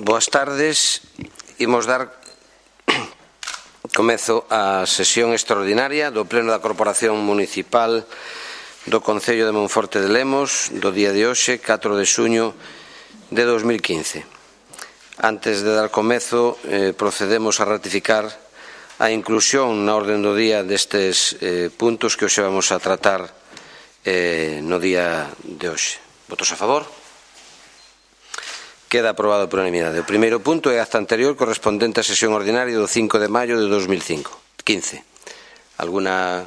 Boas tardes. Imos dar comezo á sesión extraordinaria do Pleno da Corporación Municipal do Concello de Monforte de Lemos do día de hoxe, 4 de xuño de 2015. Antes de dar comezo, procedemos a ratificar a inclusión na orden do día destes puntos que hoxe vamos a tratar no día de hoxe. Votos a favor? Queda aprobado por unanimidade. O primeiro punto é a acta anterior correspondente á sesión ordinaria do 5 de maio de 2015. Alguna?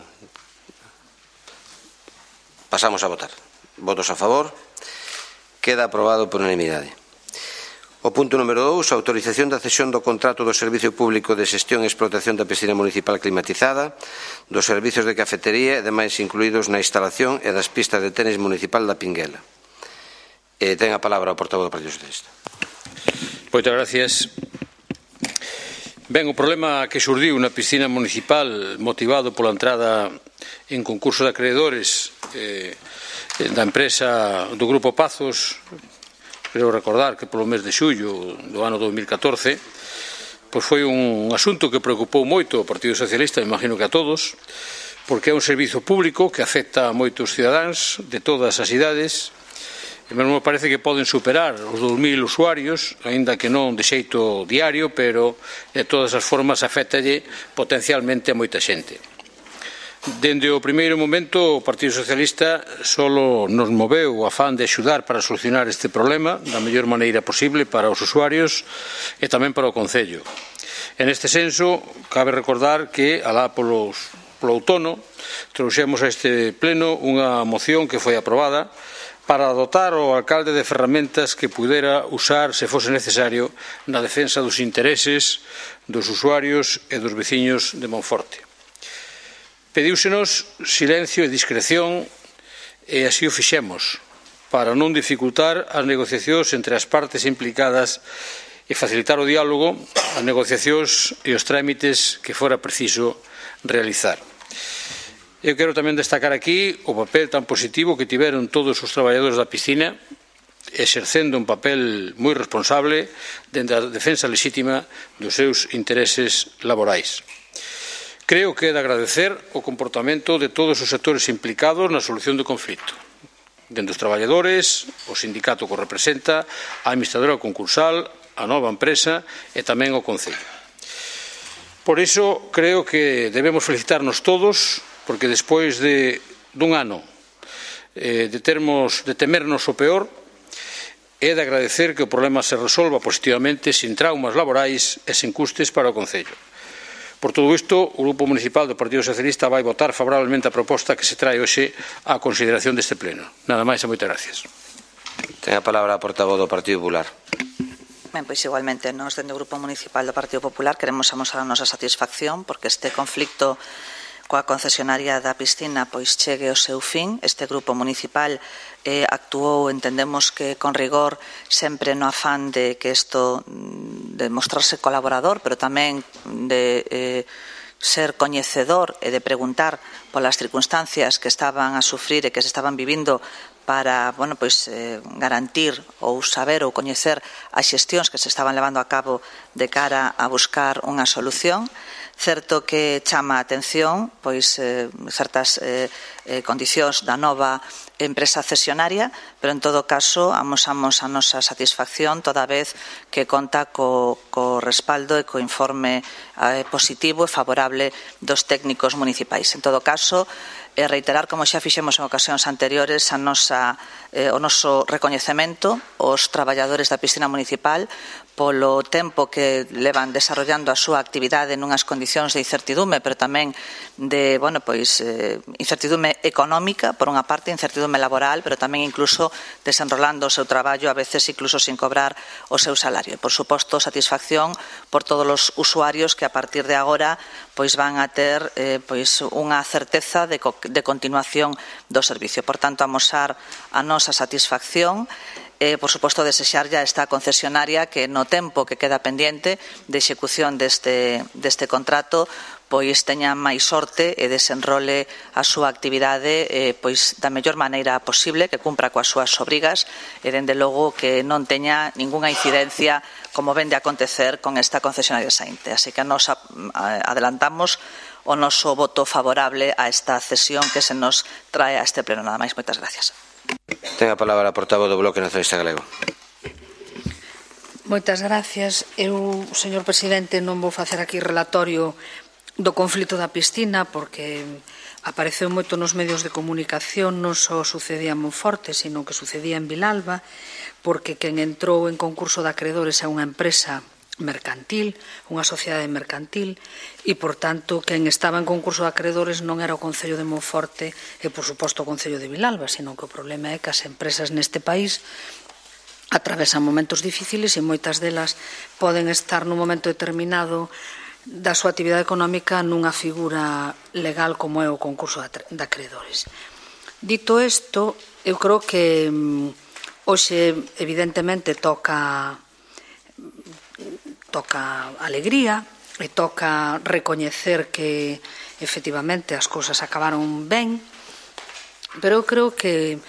Pasamos a votar. Votos a favor? Queda aprobado por unanimidade. O punto número 2, autorización da cesión do contrato do Servicio Público de Xestión e Explotación da Piscina Municipal Climatizada, dos servizos de cafetería e demais incluídos na instalación e das pistas de tenis municipal da Pinguela. Ten a palabra o portavoz do Partido Socialista. Moitas gracias. Ben, o problema que xurdiu na piscina municipal motivado pola entrada en concurso de acreedores da empresa do Grupo Pazos, creo recordar que polo mes de xullo do ano 2014, pois foi un asunto que preocupou moito o Partido Socialista, imagino que a todos, porque é un servizo público que afecta a moitos cidadáns de todas as idades. E mesmo parece que poden superar os 2.000 usuarios, aínda que non de xeito diario, pero de todas as formas afectalle potencialmente a moita xente. Dende o primeiro momento, o Partido Socialista solo nos moveu o afán de axudar para solucionar este problema da mellor maneira posible para os usuarios e tamén para o Concello. En este senso, cabe recordar que, alá polo outono, trouxemos a este pleno unha moción que foi aprobada para dotar o alcalde de ferramentas que pudera usar, se fose necesario, na defensa dos intereses dos usuarios e dos veciños de Monforte. Pedíusenos silencio e discreción e así o fixemos, para non dificultar as negociacións entre as partes implicadas e facilitar o diálogo, as negociacións e os trámites que fora preciso realizar. Eu quero tamén destacar aquí o papel tan positivo que tiveron todos os traballadores da piscina, exercendo un papel moi responsable dentro da defensa lexítima dos seus intereses laborais. Creo que é de agradecer o comportamento de todos os sectores implicados na solución do conflito, dende os traballadores, o sindicato que o representa, a administradora concursal, a nova empresa e tamén o Concello. Por iso, creo que debemos felicitarnos todos, porque despois dun ano de temernos o peor, é de agradecer que o problema se resolva positivamente, sin traumas laborais e sin custes para o Concello. Por todo isto, o Grupo Municipal do Partido Socialista vai votar favorablemente a proposta que se trae hoxe á consideración deste pleno. Nada máis e moitas gracias. Ten a palabra a portavoz do Partido Popular. Ben, pois igualmente, nós dende o Grupo Municipal do Partido Popular queremos amosar a nosa satisfacción porque este conflicto coa concesionaria da piscina pois chegue ao seu fin. Este grupo municipal actuou, entendemos que con rigor, sempre no afán de que isto de mostrarse colaborador, pero tamén de ser coñecedor e de preguntar polas circunstancias que estaban a sufrir e que se estaban vivindo para, bueno, pois, garantir ou saber ou coñecer as xestións que se estaban levando a cabo de cara a buscar unha solución. Certo que chama a atención pois certas condicións da nova empresa cesionaria, pero en todo caso amosamos a nosa satisfacción toda vez que conta co respaldo e co informe positivo e favorable dos técnicos municipais. En todo caso, reiterar, como xa fixemos en ocasións anteriores, o noso recoñecemento aos traballadores da piscina municipal polo tempo que levan desarrollando a súa actividade nunhas condicións de incertidume, pero tamén de, bueno, pois, incertidume económica, por unha parte, incertidume laboral, pero tamén incluso desenrolando o seu traballo, a veces incluso sin cobrar o seu salario. E, por suposto, satisfacción por todos os usuarios que a partir de agora pois van a ter pois unha certeza de continuación do servicio. Por tanto, amosar a nosa satisfacción. Por suposto, desexarlle a esta concesionaria que no tempo que queda pendiente de execución deste contrato pois teña máis sorte e desenrole a súa actividade pois da mellor maneira posible, que cumpra coas súas obrigas e, dende logo, que non teña ningunha incidencia como ven de acontecer con esta concesionaria Saínte. Así que nos adelantamos o noso voto favorable a esta cesión que se nos trae a este pleno. Nada máis, moitas gracias. Ten a palabra a portavoz do Bloque Nacionalista Galego. Moitas gracias. Eu, señor presidente, non vou facer aquí relatorio do conflito da piscina porque apareceu moito nos medios de comunicación, non só sucedía en Monforte, sino que sucedía en Vilalba, porque quen entrou en concurso de acreedores é unha empresa mercantil, unha sociedade mercantil, e, por tanto, quen estaba en concurso de acreedores non era o Concello de Monforte e, por suposto, o Concello de Vilalba, sino que o problema é que as empresas neste país atravesan momentos difíciles e moitas delas poden estar nun momento determinado da súa actividade económica nunha figura legal como é o concurso de acreedores. Dito isto, eu creo que hoxe evidentemente toca alegría e toca recoñecer que efectivamente as cousas acabaron ben, pero eu creo que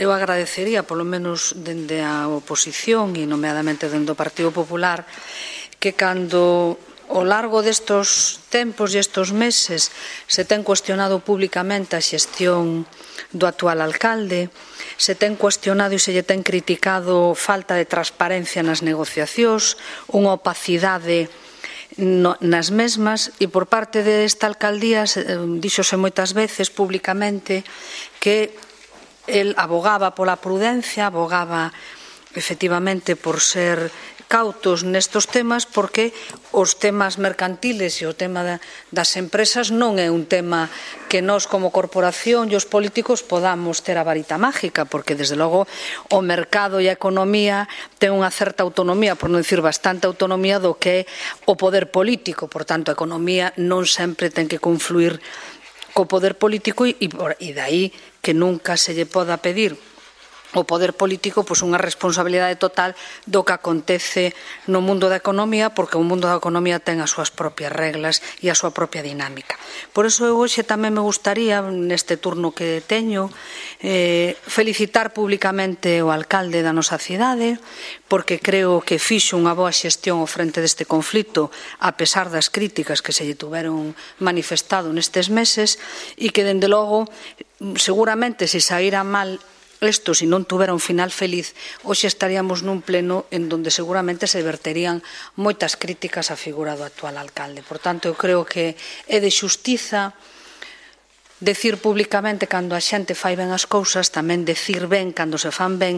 eu agradecería, polo menos dende a oposición e nomeadamente dende o Partido Popular, que cando ao largo destos tempos e estes meses se ten cuestionado públicamente a xestión do actual alcalde, se ten cuestionado e se lle ten criticado falta de transparencia nas negociacións, unha opacidade nas mesmas, e por parte desta alcaldía díxose moitas veces públicamente que el abogaba pola prudencia, abogaba efectivamente por ser cautos nestos temas, porque os temas mercantiles e o tema das empresas non é un tema que nós como corporación e os políticos podamos ter a varita mágica, porque desde logo o mercado e a economía ten unha certa autonomía, por non dicir bastante autonomía, do que é o poder político. Por tanto, a economía non sempre ten que confluir co poder político e dai que nunca se lle poda pedir o poder político pois unha responsabilidade total do que acontece no mundo da economía, porque o mundo da economía ten as súas propias reglas e a súa propia dinámica. Por iso eu hoxe tamén me gustaría, neste turno que teño, felicitar públicamente o alcalde da nosa cidade, porque creo que fixo unha boa xestión ao frente deste conflito, a pesar das críticas que se lle tuveron manifestado nestes meses, e que, dende logo, seguramente, se saíra mal isto, se non tuvera un final feliz, hoxe estaríamos nun pleno en donde seguramente se verterían moitas críticas á figura do actual alcalde. Por tanto, eu creo que é de xustiza decir públicamente cando a xente fai ben as cousas, tamén decir ben cando se fan ben,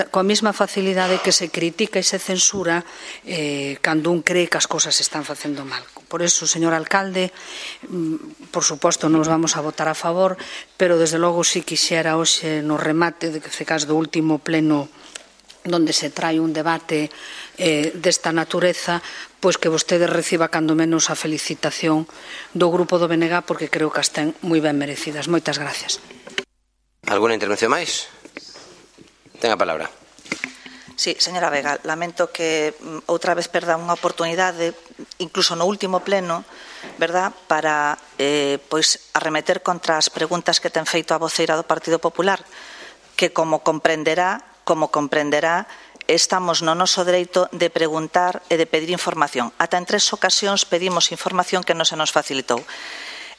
coa mesma facilidade que se critica e se censura cando un cree que as cousas se están facendo mal. Por iso, señor alcalde, por suposto nos vamos a votar a favor, pero desde logo si quixera hoxe no remate de caso do último pleno donde se trae un debate desta natureza, pois que vostede reciba cando menos a felicitación do grupo do BNG, porque creo que as ten moi ben merecidas. Moitas gracias. Alguna intervención máis? Ten a palabra. Sí, señora Vega, lamento que outra vez perda unha oportunidade, incluso no último pleno, verdad, para pois arremeter contra as preguntas que ten feito a voceira do Partido Popular, que como comprenderá, estamos no noso dereito de preguntar e de pedir información. Ata en 3 ocasións pedimos información que non se nos facilitou.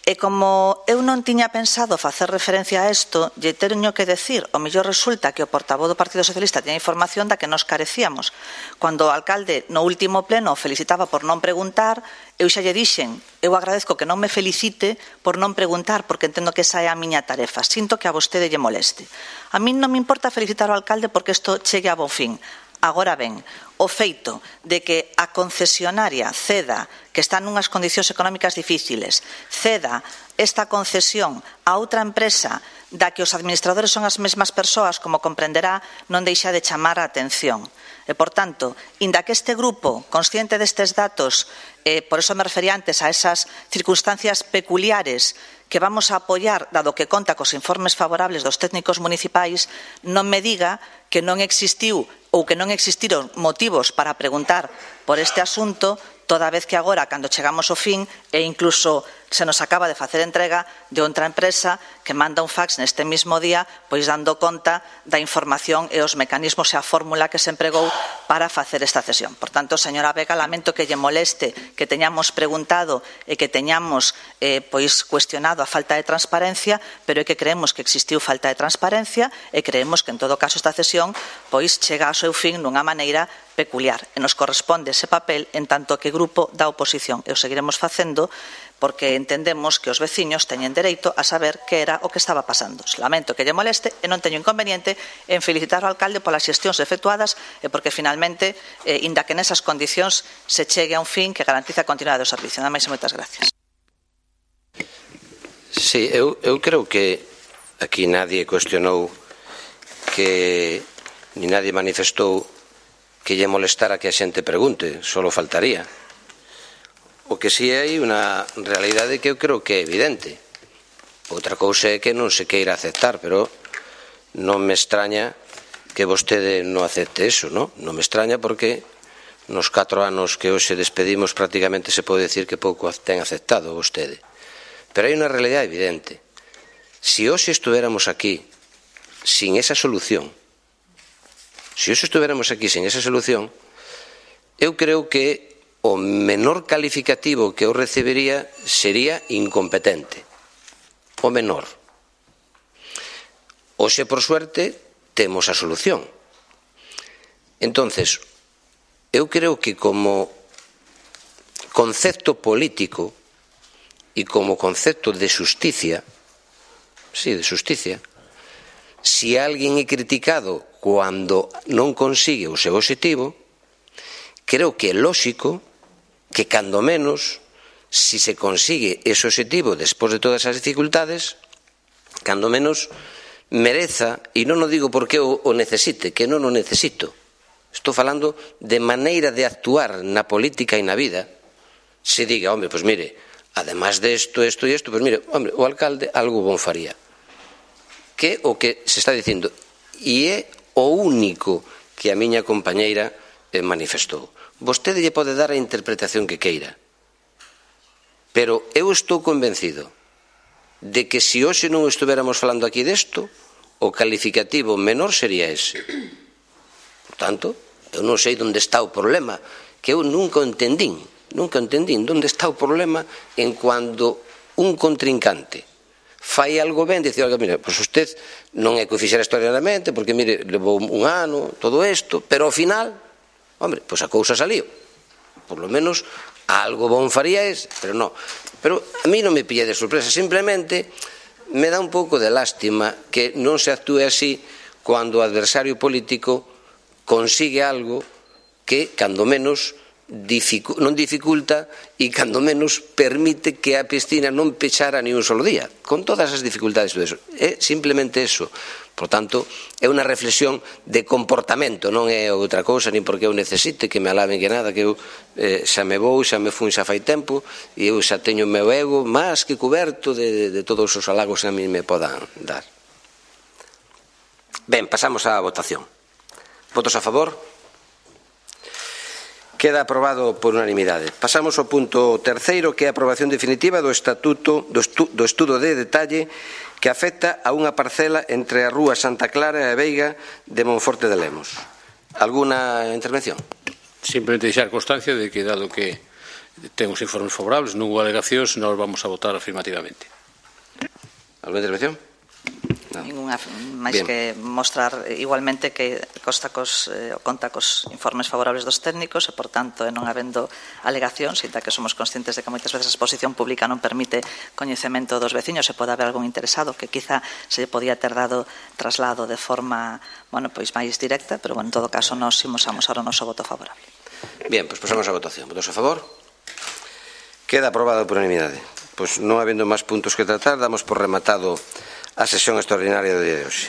E como eu non tiña pensado facer referencia a isto, lle teño que decir, o mellor resulta que o portavoz do Partido Socialista tiña información da que nos carecíamos. Cando o alcalde no último pleno felicitaba por non preguntar, eu xa lle dixen, eu agradezco que non me felicite por non preguntar, porque entendo que esa é a miña tarefa. Sinto que a vostede lle moleste. A min non me importa felicitar ao alcalde porque isto chegue a bon fin. Agora ben, o feito de que a concesionaria ceda, que está nunhas condicións económicas difíciles, ceda esta concesión a outra empresa da que os administradores son as mesmas persoas, como comprenderá, non deixa de chamar a atención. E, por tanto, inda que este grupo, consciente destes datos, por eso me refería antes a esas circunstancias peculiares que vamos a apoiar, dado que conta cos informes favorables dos técnicos municipais, non me diga que non existiu ou que non existiron motivos para preguntar por este asunto, toda vez que agora, cando chegamos ao fin, e incluso se nos acaba de facer entrega de outra empresa que manda un fax neste mismo día pois dando conta da información e os mecanismos e a fórmula que se empregou para facer esta cesión. Por tanto, señora Vega, lamento que lle moleste que teñamos preguntado e que teñamos pois cuestionado a falta de transparencia, pero é que creemos que existiu falta de transparencia e creemos que en todo caso esta cesión pois chega ao seu fin nunha maneira peculiar e nos corresponde ese papel en tanto que grupo da oposición e o seguiremos facendo porque entendemos que os veciños teñen dereito a saber que era o que estaba pasando. Lamento que lle moleste e non teño inconveniente en felicitar ao alcalde polas xestións efectuadas e porque finalmente, inda que nesas condicións se chegue a un fin que garantiza a continuidade do servicio. Nada máis e moitas gracias. Sí, eu creo que aquí nadie cuestionou que ni nadie manifestou que lle molestara que a xente pregunte, solo faltaría. O que si hai unha realidade que eu creo que é evidente. Outra cousa é que non se queira aceptar, pero non me extraña que vostede non acepte eso, non? Non me extraña porque nos 4 anos que hoxe despedimos prácticamente se pode decir que pouco ten aceptado vostede. Pero hai unha realidade evidente. Se hoxe estuveramos aquí sin esa solución, eu creo que o menor calificativo que eu recibiría sería incompetente. O menor. Hoxe, por suerte, temos a solución. Entonces, eu creo que como concepto político e como concepto de xusticia, si alguén é criticado cando non consigue o seu obxectivo, creo que é lóxico que, cando menos, si se consigue ese obxectivo despois de todas as dificultades, cando menos mereza, e non o digo porque o necesite, que non o necesito, estou falando de maneira de actuar na política e na vida, se diga, home, pois mire, además de isto, pois mire, home, o alcalde algo bon faría. Que o que se está dicindo, e é o único que a miña compañeira manifestou. Vostede lle pode dar a interpretación que queira, pero eu estou convencido de que se hoxe non estuveramos falando aquí desto, o calificativo menor sería ese. Por tanto, eu non sei onde está o problema, que eu nunca entendín onde está o problema en cando un contrincante fai algo ben, dice, mira, pois usted non é que o fixera extraordinariamente, porque, mire, levou un ano, todo isto, pero ao final, hombre, pois a cousa saliu. Por lo menos algo bon faría ese, pero non. Pero a mí non me pilla de sorpresa, simplemente me dá un pouco de lástima que non se actúe así cando o adversario político consigue algo que, cando menos, non dificulta e cando menos permite que a piscina non pechara ni un solo día, con todas as dificultades e todo eso. É simplemente eso. Por tanto, é unha reflexión de comportamento, non é outra cousa, nin porque eu necesite que me alaben que nada, que eu xa me vou, xa me fun xa fai tempo, e eu xa teño o meu ego máis que coberto de todos os halagos que a mí me podan dar. Ben, pasamos á votación. Votos a favor? Queda aprobado por unanimidade. Pasamos ao punto terceiro, que é a aprobación definitiva do estatuto do estudo de detalle que afecta a unha parcela entre a rúa Santa Clara e a Veiga de Monforte de Lemos. Alguna intervención? Simplemente deixar constancia de que, dado que temos informes favorables, non hubo alegacións, nós vamos a votar afirmativamente. Alguna intervención? Ninguna, máis que mostrar igualmente que conta cos informes favorables dos técnicos e, por tanto, non habendo alegacións, e que somos conscientes de que moitas veces a exposición pública non permite coñecemento dos veciños e pode haber algún interesado que quizá se podía ter dado traslado de forma máis directa, pero en todo caso nos imos amosar o noso voto favorable. Bien, pois pasamos á votación. Votos a favor? Queda aprobado por unanimidade. Pois non habendo máis puntos que tratar, damos por rematado a sesión extraordinaria do día de hoxe.